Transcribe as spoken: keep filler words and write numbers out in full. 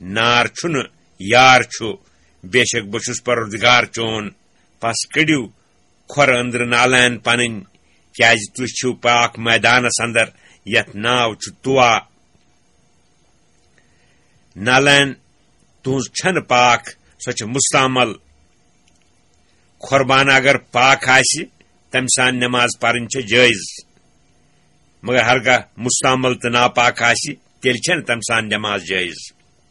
نار چھُنہٕ، یار چھُ، بے شک بہٕ چھُس پروردگار چون۔ پس کٔڑِو کھۄرٕ أنٛدرٕ نالین پنٕنۍ، کیازِ تُہۍ چھِو پاک میدانس اندر، یتھ ناو چھُ توا۔ نالین تُہنٛز چھنہٕ پاک، سۄ چھِ مستعمل۔ قربان اگر پاک آسہِ، تمہِ سان نماز پرٕنۍ چھےٚ جٲیز، مگر ہرگاہ مستعمل تہٕ ناپاک آسہِ، تیٚلہِ چھنہٕ تمہِ سان نماز جٲیز۔